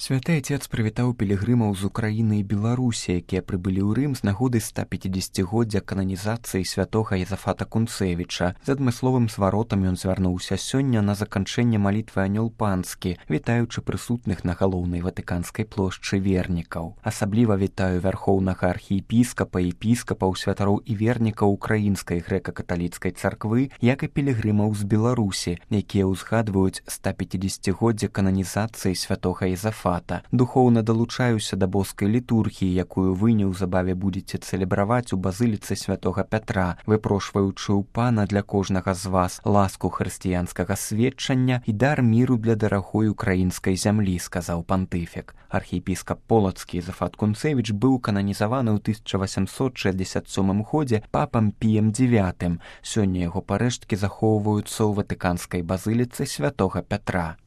Святы Отец прывітаў пілігрымаў з Украіны і Беларусі, якія прыбылі ў Рым з нагоды 150-годдзя кананізацыі святога Езафата Кунцевіча. З адмысловым зваротам ён звярнуўся сёння на заканчэнне малітвы Анёл Панскі, вітаючы прысутных на галоўнай ватыканскай плошчы вернікаў. Асабліва вітаю вярхоўнага архіепіскапа, епіскапаў, святароў і вернікаў украінскай грэка-каталіцкай царквы, як і пілігрымаў з Беларусі, якія ўзгадваюць 150-годдзе кананізацыі святога Езафата. Духоўна далучаюся да боскай літургіі, якую вы неўзабаве будзеце цэлебраваць у базыліцы святога Пятра, выпрошваючы ў Пана для кожнага з вас ласку хрысціянскага сведчання і дар міру для дарагой украінскай зямлі, сказаў пантыфік. Архіепіскап полацкі Езафат Кунцевіч быў кананізаваны ў 1867 годзе папам Піем IX. Сёння яго парэшткі захоўваюцца ў ватыканскай базыліцы святога Пятра.